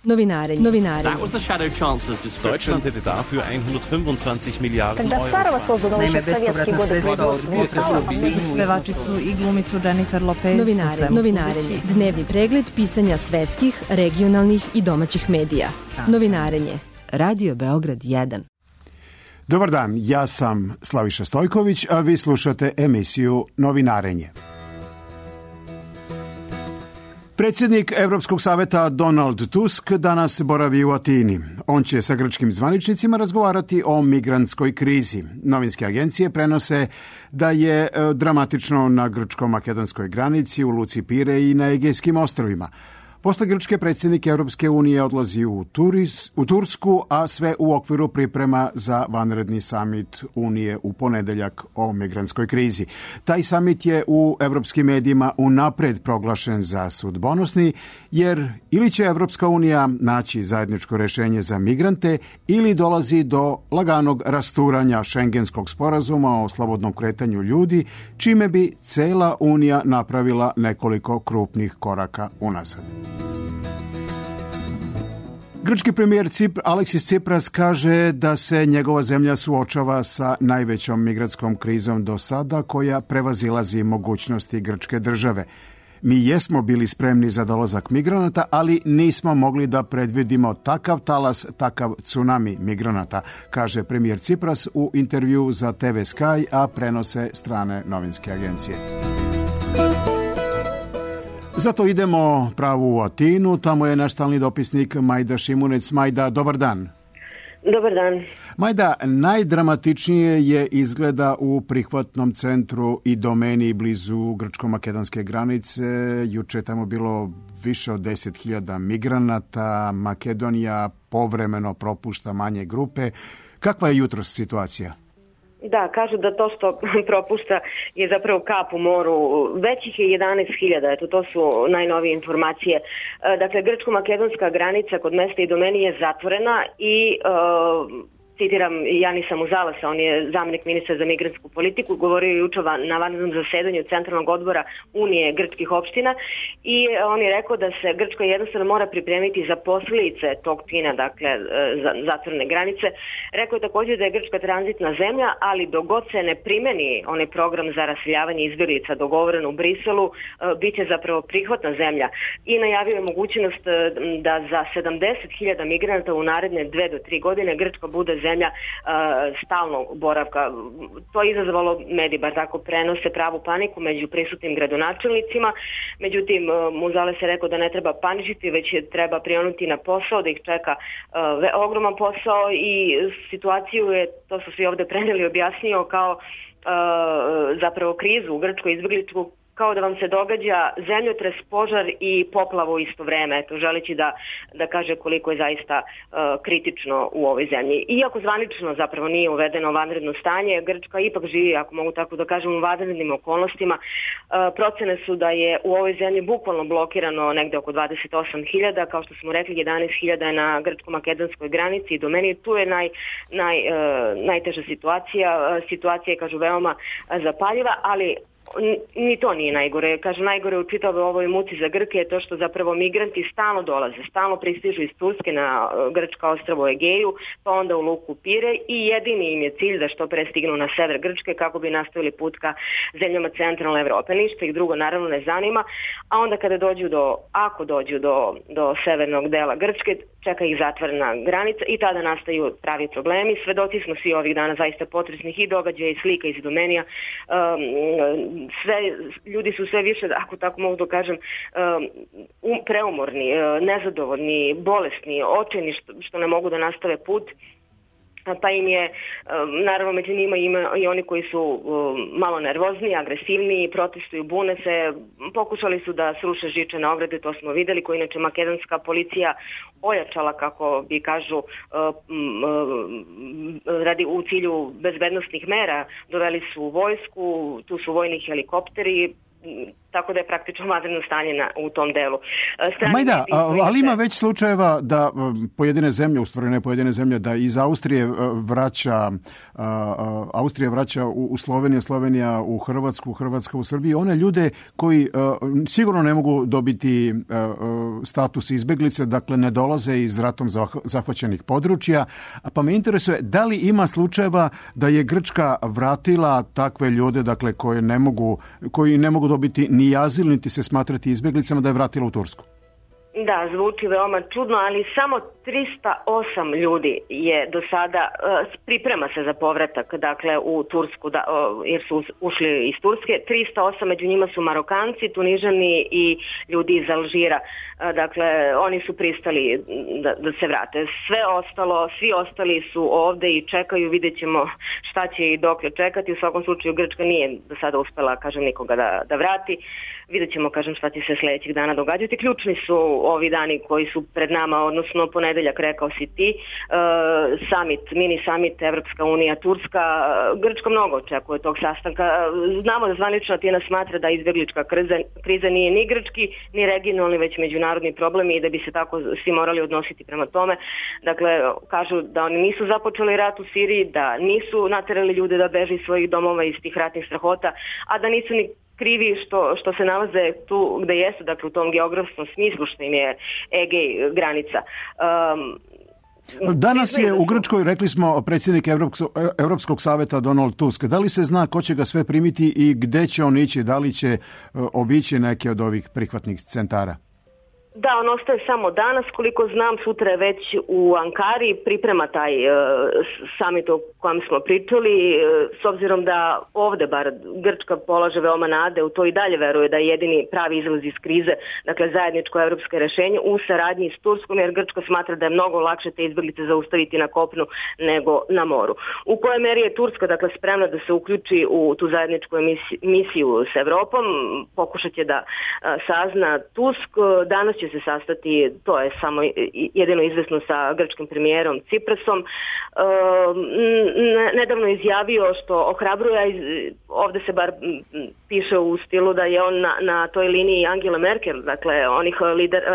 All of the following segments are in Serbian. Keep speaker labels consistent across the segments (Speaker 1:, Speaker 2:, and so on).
Speaker 1: Novinare.
Speaker 2: That was the Shadow Chancellor's description.
Speaker 3: Deutschland hätte dafür 125 Milijarden
Speaker 4: Когда старого создано еще в советские годы
Speaker 5: pevačicu i glumicu Jennifer Lopez.
Speaker 1: Novinarenje. Dnevni pregled pisanja svetskih, regionalnih i domaćih medija. Novinarenje. Radio Beograd 1.
Speaker 6: Dobar dan, ja sam Slaviša Stojković, a vi slušate emisiju Novinarenje. Predsjednik Evropskog saveta Donald Tusk danas boravi u Atini. On će sa grčkim zvaničnicima razgovarati o migrantskoj krizi. Novinske agencije prenose da je dramatično na grčko-makedonskoj granici, u luci Pire i na Egejskim ostrvima. Posle Grčke predsjednik Europske unije odlazi u Tursku, a sve u okviru priprema za vanredni samit Unije u ponedeljak o migrantskoj krizi. Taj samit je u evropskim medijima unapred proglašen za sudbonosni, jer ili će Evropska unija naći zajedničko rješenje za migrante ili dolazi do laganog rasturanja Šengenskog sporazuma o slobodnom kretanju ljudi, čime bi cela Unija napravila nekoliko krupnih koraka unazad. Grčki premijer Aleksis Tsipras kaže da se njegova zemlja suočava sa najvećom migrantskom krizom do sada, koja prevazilazi mogućnosti grčke države. Mi jesmo bili spremni za dolazak migranata, ali nismo mogli da predvidimo takav talas, takav tsunami migranata, kaže premijer Tsipras u intervju za TV Sky, a prenose strane novinske agencije. Zato idemo pravo u Atinu, tamo je naš stalni dopisnik Majda Šimunec. Majda, dobar dan.
Speaker 7: Dobar dan.
Speaker 6: Majda, najdramatičnije je izgleda u prihvatnom centru Idomeni blizu grčko-makedonske granice. Juče je tamo bilo više od 10.000 migranata. Makedonija povremeno propušta manje grupe. Kakva je jutros situacija?
Speaker 7: Da, kažu da to što propušta je zapravo kap u moru. Već ih je 11.000, eto to su najnovije informacije. Dakle, grčko-makedonska granica kod mesta Idomeni je zatvorena i citiram Janisa Muzalasa, on je zamjenik ministra za migrantsku politiku, govorio je juče na vanrednom zasedanju Centralnog odbora Unije grčkih opština i on je rekao da se Grčka jednostavno mora pripremiti za posljedice tog čina, dakle zatvorene granice. Rekao je također da je Grčka tranzitna zemlja, ali dok god se ne primeni onaj program za raseljavanje izbjeglica dogovoren u Briselu, bit će zapravo prihvatna zemlja i najavio je mogućnost da za 70.000 migranata u naredne 2 do 3 godine Grčka bude zemlja stalnog boravka. To je izazvalo, mediji bar tako prenose, pravu paniku među prisutnim gradonačelnicima. Međutim, Muzales je rekao da ne treba paničiti, već treba prionuti na posao, da ih čeka ogroman posao i situaciju je, to su svi ovdje preneli, objasnio kao zapravo krizu u Grčkoj izbjegličku, kao da vam se događa zemljotres, požar i poplava u isto vreme, eto, želeći da kaže koliko je zaista kritično u ovoj zemlji. Iako zvanično zapravo nije uvedeno vanredno stanje, Grčka ipak živi, ako mogu tako da kažem, u vanrednim okolnostima. Procene su da je u ovoj zemlji bukvalno blokirano negde oko 28.000, kao što smo rekli 11.000 je na grčko-makedonskoj granici i do meni tu je najteža situacija. Situacija je, kažu, veoma zapaljiva, ali ni to nije najgore. Kažu, najgore u čitavoj ovoj muci za Grke je to što zapravo migranti stalno dolaze, stalno pristižu iz Turske na grčka ostrvo Egeju, pa onda u luku Pire i jedini im je cilj da što pre stignu na sever Grčke kako bi nastavili put ka zemljama centralne Evrope. Ništa ih drugo naravno ne zanima, a onda kada ako dođu do severnog dela Grčke, čeka ih zatvorena granica i tada nastaju pravi problemi. Svedoci smo svi ovih dana zaista potresnih i događaja i slika iz Idomenija. Ljudi su sve više, ako tako mogu da kažem, preumorni, nezadovoljni, bolesni, očajni što ne mogu da nastave put. Pa im je, naravno među njima ima i oni koji su malo nervozni, agresivni, protestuju, bune se, pokušali su da sruše žičane ograde, to smo videli, koji inače makedonska policija ojačala, kako bi kažu, radi u cilju bezbednostnih mera, doveli su vojsku, tu su vojni helikopteri, tako da je praktično vanredno stanje u tom delu.
Speaker 6: Majda, ali ima već slučajeva da pojedine zemlje, u stvari ne pojedine zemlje, da iz Austrije vraća u Sloveniju, Slovenija u Hrvatsku, Hrvatska u Srbiju, one ljude koji sigurno ne mogu dobiti status izbeglice, dakle ne dolaze iz ratom zahvaćenih područja, pa me interesuje da li ima slučajeva da je Grčka vratila takve ljude, dakle koji ne mogu dobiti ni azil, niti se smatrati izbeglicama, da je vratila u Tursku?
Speaker 7: Da, zvuči veoma čudno, ali samo 308 ljudi je do sada, priprema se za povratak, dakle, u Tursku, jer su ušli iz Turske. 308, među njima su Marokanci, Tunižani i ljudi iz Alžira. Dakle, oni su pristali da se vrate. Svi ostali su ovde i čekaju, vidjet ćemo šta će i dokle čekati. U svakom slučaju Grčka nije do sada uspela, nikoga da vrati. Vidjet ćemo, šta će se sljedećih dana događati. Ključni su ovi dani koji su pred nama, odnosno ponedeljak, rekao si ti, mini summit Evropska unija, Turska. Grčka mnogo očekuje tog sastanka. Znamo da zvanično Atina smatra da izbjeglička kriza nije ni grčki, ni regionalni, već međunarodni problem i da bi se tako svi morali odnositi prema tome. Dakle, kažu da oni nisu započeli rat u Siriji, da nisu naterali ljude da beže iz svojih domova iz tih ratnih strahota, a da nisu ni krivi što se nalaze tu gde jesu, dakle u tom geografskom smislu što im je Egej granica.
Speaker 6: Danas je u Grčkoj, rekli smo, predsjednik Europskog saveta Donald Tusk. Da li se zna ko će ga sve primiti i gde će on ići? Da li će obići neke od ovih prihvatnih centara?
Speaker 7: Da, on ostaje samo danas, koliko znam, sutra je već u Ankari, priprema taj summit o kojem smo pričali, s obzirom da ovde bar Grčka polaže veoma nade, u to i dalje veruje da je jedini pravi izlaz iz krize, dakle zajedničko evropsko rešenje u saradnji s Turskom, jer Grčka smatra da je mnogo lakše te izbeglice zaustaviti na kopnu nego na moru. U kojoj meri je Turska, dakle, spremna da se uključi u tu zajedničku misiju s Evropom, pokušat će da sazna Tusk. Danas će se sastati, to je samo jedino izvesno, sa grčkim premijerom Ciprasom. Nedavno izjavio što ohrabruje, ovde se bar piše u stilu da je on na toj liniji Angela Merkel, dakle onih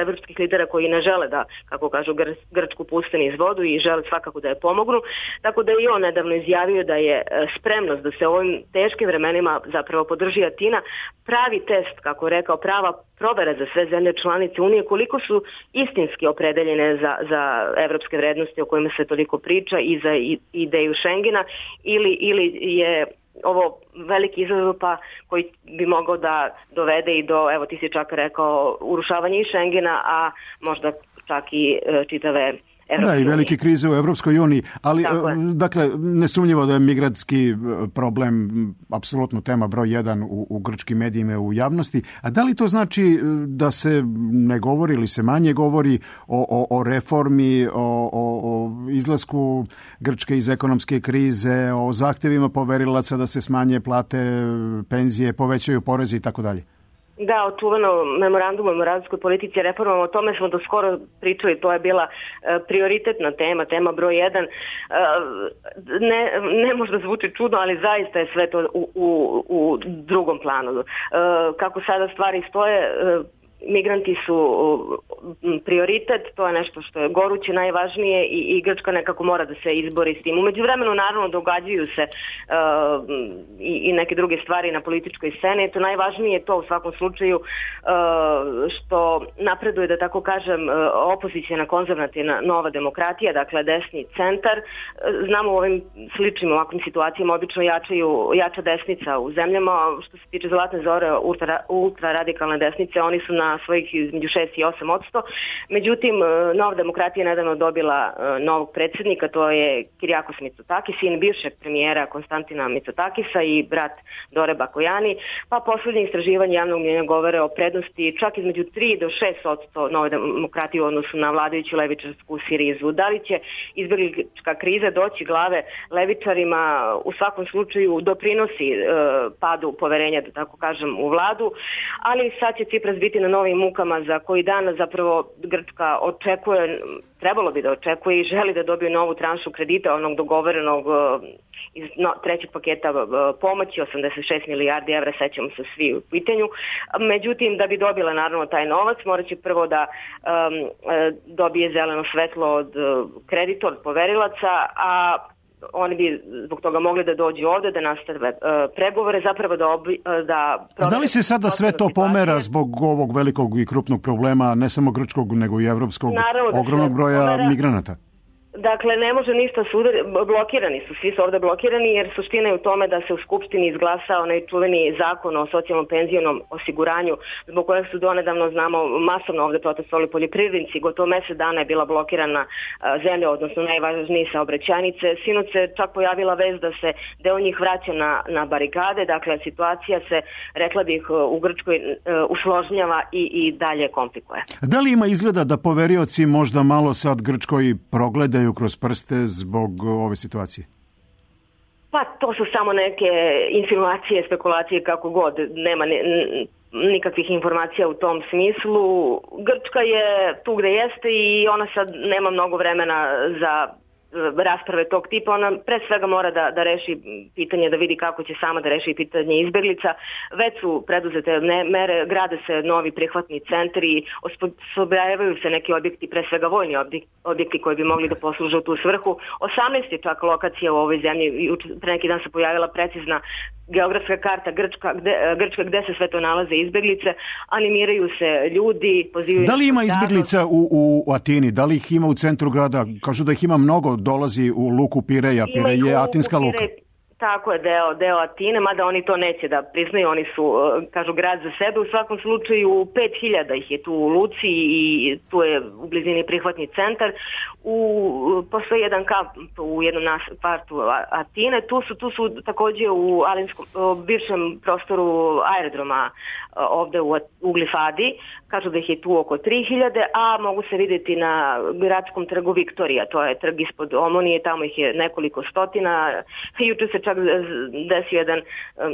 Speaker 7: evropskih lidera koji ne žele da, kako kažu, Grčku puste niz vodu i žele svakako da je pomognu. Tako da je i on nedavno izjavio da je spremnost da se u ovim teškim vremenima zapravo podrži Atina. Pravi test, kako je rekao, prava provera za sve zemlje članice Unije, koliko su istinski opredeljene za evropske vrednosti o kojima se toliko priča i za ideju Schengena, ili je ovo veliki izazov koji bi mogao da dovede i do, evo ti si čak rekao, urušavanja i Schengena, a možda čak i čitave
Speaker 6: Da, i velike krize u Evropskoj uniji, ali dakle, nesumnjivo da je migrantski problem apsolutno tema broj 1 u grčkim medijima i u javnosti. A da li to znači da se ne govori ili se manje govori o reformi, o izlasku Grčke iz ekonomske krize, o zahtjevima poverilaca da se smanje plate, penzije, povećaju porezi i tako dalje?
Speaker 7: Da, o čuvenom memorandumu o moratorskoj politici, reformama, o tome smo do skoro pričali, to je bila prioritetna tema broj 1. Ne možda zvuči čudno, ali zaista je sve to u drugom planu. Kako sada stvari stoje, migranti su prioritet, to je nešto što je goruće, najvažnije i Grčka nekako mora da se izbori s tim. U međuvremenu naravno događaju se i neke druge stvari na političkoj sceni. To najvažnije je to u svakom slučaju što napreduje, da tako kažem, opozicijna konzervativna nova demokratija, dakle desni centar. Znamo u ovim sličnim ovakvim situacijama obično jača desnica u zemljama. Što se tiče Zlatne zore, ultra radikalne desnice, oni su na svojih između 6 i 8%. Međutim, Nova demokratija je nedavno dobila novog predsjednika, to je Kyriakos Mitsotakis, sin bivšeg premijera Konstantina Mitsotakisa i brat Dore Bakojani, pa posljednje istraživanje javnog mnjenja govore o prednosti čak između 3 do 6% Nove demokratije u odnosu na vladajuću levičarsku Sirizu. Da li će izbjeglička kriza doći glave levičarima, u svakom slučaju doprinosi padu poverenja, da tako kažem, u vladu, ali sad će Cipras biti na novim mukama za koji dan zapravo Grčka očekuje, trebalo bi da očekuje i želi da dobije novu tranšu kredita, onog dogovorenog iz trećeg paketa pomoći, 86 milijardi evra, sećamo se svi u pitanju. Međutim, da bi dobila naravno taj novac, morat će prvo da dobije zeleno svetlo od kreditora, od poverilaca, a oni bi zbog toga mogli da dođu ovde, da nastave pregovore, zapravo da...
Speaker 6: A da li se sada sve to pomera zbog ovog velikog i krupnog problema, ne samo grčkog, nego i evropskog, ogromnog broja migranata?
Speaker 7: Dakle, ne može ništa blokirani su, svi su ovde blokirani, jer suština je u tome da se u Skupštini izglasa onaj čuveni zakon o socijalnom penzionom osiguranju, zbog kojeg su donedavno, znamo, masovno ovde protestovali poljoprivrednici, gotovo mesec dana je bila blokirana zemlja, odnosno najvažnije saobraćajnice. Sinoć se čak pojavila vest da se deo njih vraća na barikade, dakle situacija se, rekla bih, u Grčkoj usložnjava i dalje komplikuje.
Speaker 6: Da li ima izgleda da poverioci možda malo sad Grčkoj progledaju kroz prste zbog ove situacije?
Speaker 7: Pa to su samo neke insinuacije, spekulacije, kako god. Nema nikakvih informacija u tom smislu. Grčka je tu gde jeste i ona sad nema mnogo vremena za rasprave tog tipa. Ona pre svega mora da reši pitanje, da vidi kako će sama da reši pitanje izbeglica. Već su preduzete mere, grade se novi prihvatni centri, osposobljavaju se neki objekti, pre svega vojni objekti koji bi mogli da posluže u tu svrhu. 18 je čak lokacija u ovoj zemlji. Pre neki dan se pojavila precizna geografska karta Grčka gde se sve to nalaze izbeglice, animiraju se ljudi, pozivaju...
Speaker 6: Da li ima izbeglica u Atini? Da li ih ima u centru grada? Kažu da ih ima mnogo, dolazi u luku Pireja. Pirej je atinska luka.
Speaker 7: Tako je, deo Atine, mada oni to neće da priznaju, oni su, kažu, grad za sebe. U svakom slučaju 5000 ih je tu u luci i tu je u blizini prihvatni centar. Postoji jedan kamp u jednom kvartu Atine, tu su takođe u bivšem prostoru aerodroma ovde u Glifadi, kažu da ih je tu oko 3000, a mogu se vidjeti na gradskom trgu Viktorija, to je trg ispod Omonije, tamo ih je nekoliko stotina. Juče se čak desio jedan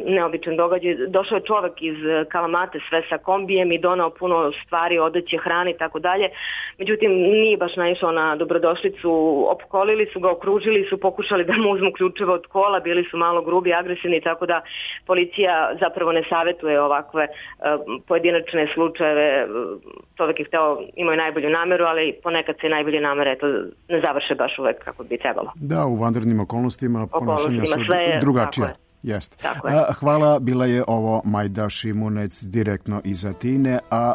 Speaker 7: neobičan događaj. Došao je čovek iz Kalamate sve sa kombijem i donao puno stvari, odeće, hrane i tako dalje. Međutim, nije baš naišao na dobrodošlicu, opkolili su ga, okružili su, pokušali da mu uzmu ključeve od kola, bili su malo grubi, agresivni, tako da policija zapravo ne savetuje ovakve pojedinačne slučajeve. Čovek je hteo, imao je najbolju nameru, ali ponekad se najbolje namere ne završe baš uvek kako bi trebalo.
Speaker 6: Da, u vanrednim okolnostima ponašanja su drugačija. Jeste. Hvala, bila je ovo Majda Šimunec direktno iz Atine, a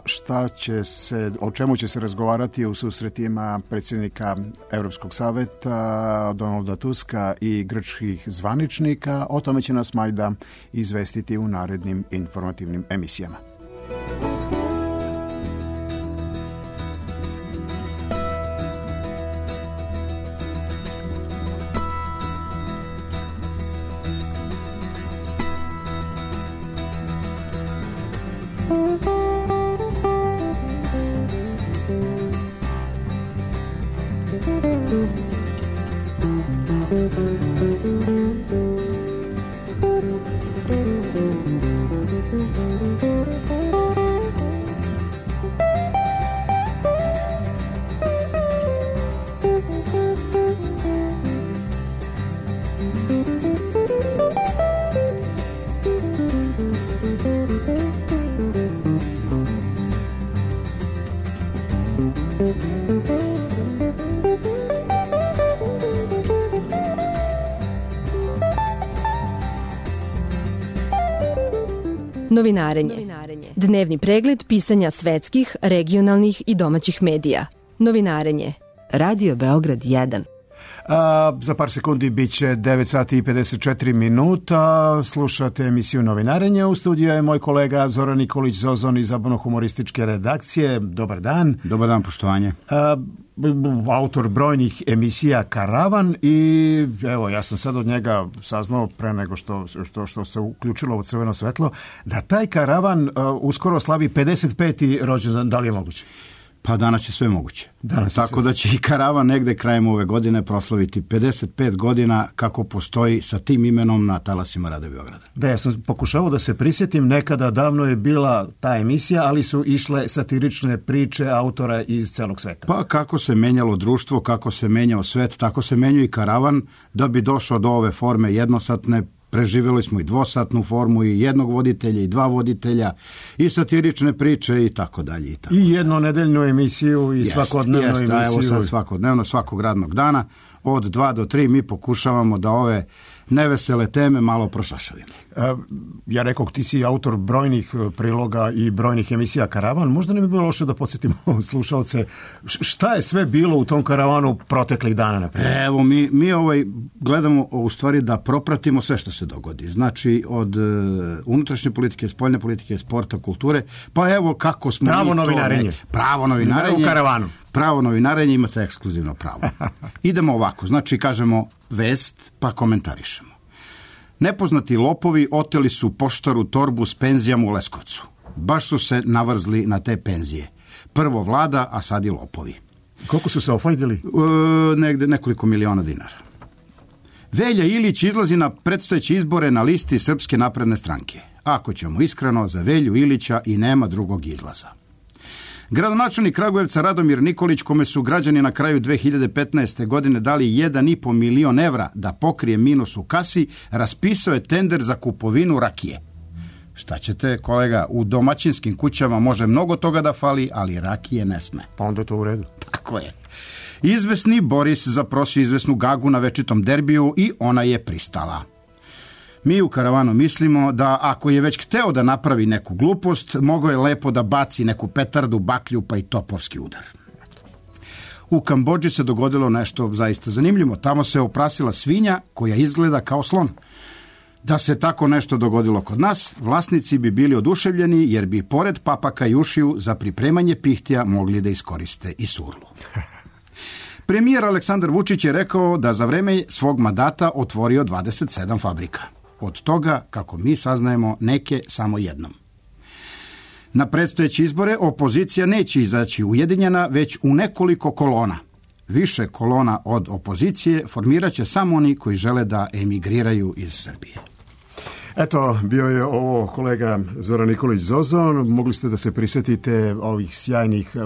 Speaker 6: o čemu će se razgovarati u susretima predsjednika Evropskog saveta Donalda Tuska i grčkih zvaničnika, o tome će nas Majda izvestiti u narednim informativnim emisijama.
Speaker 1: Novinarenje. Dnevni pregled pisanja svetskih, regionalnih i domaćih medija. Novinarenje. Radio Beograd 1.
Speaker 6: Za par sekundi bit će 9 sati i 54 minuta. Slušate emisiju Novinarenje. U studiju je moj kolega Zoran Nikolić Zozon iz zabavno-humorističke redakcije. Dobar dan.
Speaker 8: Dobar dan, poštovanje.
Speaker 6: Autor brojnih emisija Karavan i evo, ja sam sad od njega saznao pre nego što se uključilo ovo crveno svetlo, da taj Karavan uskoro slavi 55. rođendan. Da li je moguće?
Speaker 8: Pa danas je sve moguće. Tako da će i karavan negde krajem ove godine proslaviti 55 godina kako postoji sa tim imenom na talasima Radio Beograda.
Speaker 6: Da, ja sam pokušavao da se prisjetim, nekada davno je bila ta emisija, ali su išle satirične priče autora iz celog sveta.
Speaker 8: Pa kako se menjalo društvo, kako se menjao svet, tako se menjao i karavan da bi došao do ove forme jednosatne. Preživjeli smo i dvosatnu formu i jednog voditelja i dva voditelja i satirične priče i tako dalje.
Speaker 6: I jednonedeljnu emisiju i svakodnevnu emisiju.
Speaker 8: Evo sad svakodnevno, svakog radnog dana od 2 do 3 mi pokušavamo da ove nevesele teme malo prošašavimo.
Speaker 6: Ja rekao, ti si autor brojnih priloga i brojnih emisija Karavan. Možda ne bi bilo loše da podsjetimo slušalce šta je sve bilo u tom karavanu proteklih dana, na primjer?
Speaker 8: Evo, mi gledamo u stvari da propratimo sve što se dogodi. Znači, od unutrašnje politike, spoljne politike, sporta, kulture, pa evo kako smo...
Speaker 6: Pravo novinarenje.
Speaker 8: Pravo novinarenje.
Speaker 6: U karavanu.
Speaker 8: Pravo novinarenje, imate ekskluzivno pravo. Idemo ovako, znači kažemo vest, pa komentarišemo. Nepoznati lopovi oteli su poštaru torbu s penzijama u Leskovcu. Baš su se navrzli na te penzije. Prvo vlada, a sad i lopovi.
Speaker 6: Koliko su se ofajdili?
Speaker 8: Negde nekoliko miliona dinara. Velja Ilić izlazi na predstojeće izbore na listi Srpske napredne stranke. Ako ćemo iskreno, za Velju Ilića i nema drugog izlaza. Gradonačelnik Kragujevca Radomir Nikolić, kome su građani na kraju 2015. godine dali 1,5 milion evra da pokrije minus u kasi, raspisao je tender za kupovinu rakije. Šta ćete, kolega, u domaćinskim kućama može mnogo toga da fali, ali rakije ne sme.
Speaker 6: Pa onda je to u redu.
Speaker 8: Tako je. Izvesni Boris zaprosio izvesnu Gagu na večitom derbiju i ona je pristala. Mi u karavanu mislimo da ako je već hteo da napravi neku glupost, mogao je lepo da baci neku petardu, baklju pa i topovski udar. U Kambodži se dogodilo nešto zaista zanimljivo. Tamo se oprasila svinja koja izgleda kao slon. Da se tako nešto dogodilo kod nas, vlasnici bi bili oduševljeni jer bi pored papaka i ušiju za pripremanje pihtija mogli da iskoriste i surlu. Premijer Aleksandar Vučić je rekao da za vreme svog mandata otvorio 27 fabrika. Od toga, kako mi saznajemo, neke samo jednom. Na predstojeće izbore opozicija neće izaći ujedinjena, već u nekoliko kolona. Više kolona od opozicije formirat će samo oni koji žele da emigriraju iz Srbije.
Speaker 6: Eto, bio je ovo kolega Zoran Nikolić Zozon. Mogli ste da se prisjetite ovih sjajnih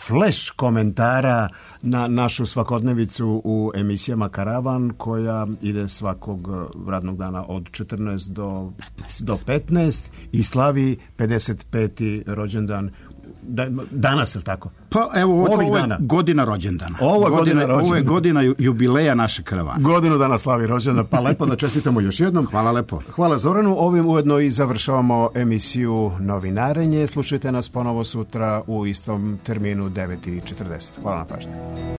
Speaker 6: flash komentara na našu svakodnevicu u emisijama Karavan, koja ide svakog radnog dana od 14 do 15 i slavi 55. rođendan. Danas, je li tako?
Speaker 8: Pa evo, ovo je godina rođendana. Ovo je godina jubileja naše karavane.
Speaker 6: Godinu dana slavi rođendana, pa lepo da čestitamo još jednom.
Speaker 8: Hvala lepo.
Speaker 6: Hvala Zoranu. Ovim ujedno i završavamo emisiju Novinarenje. Slušajte nas ponovo sutra u istom terminu 9:40. Hvala na pažnju.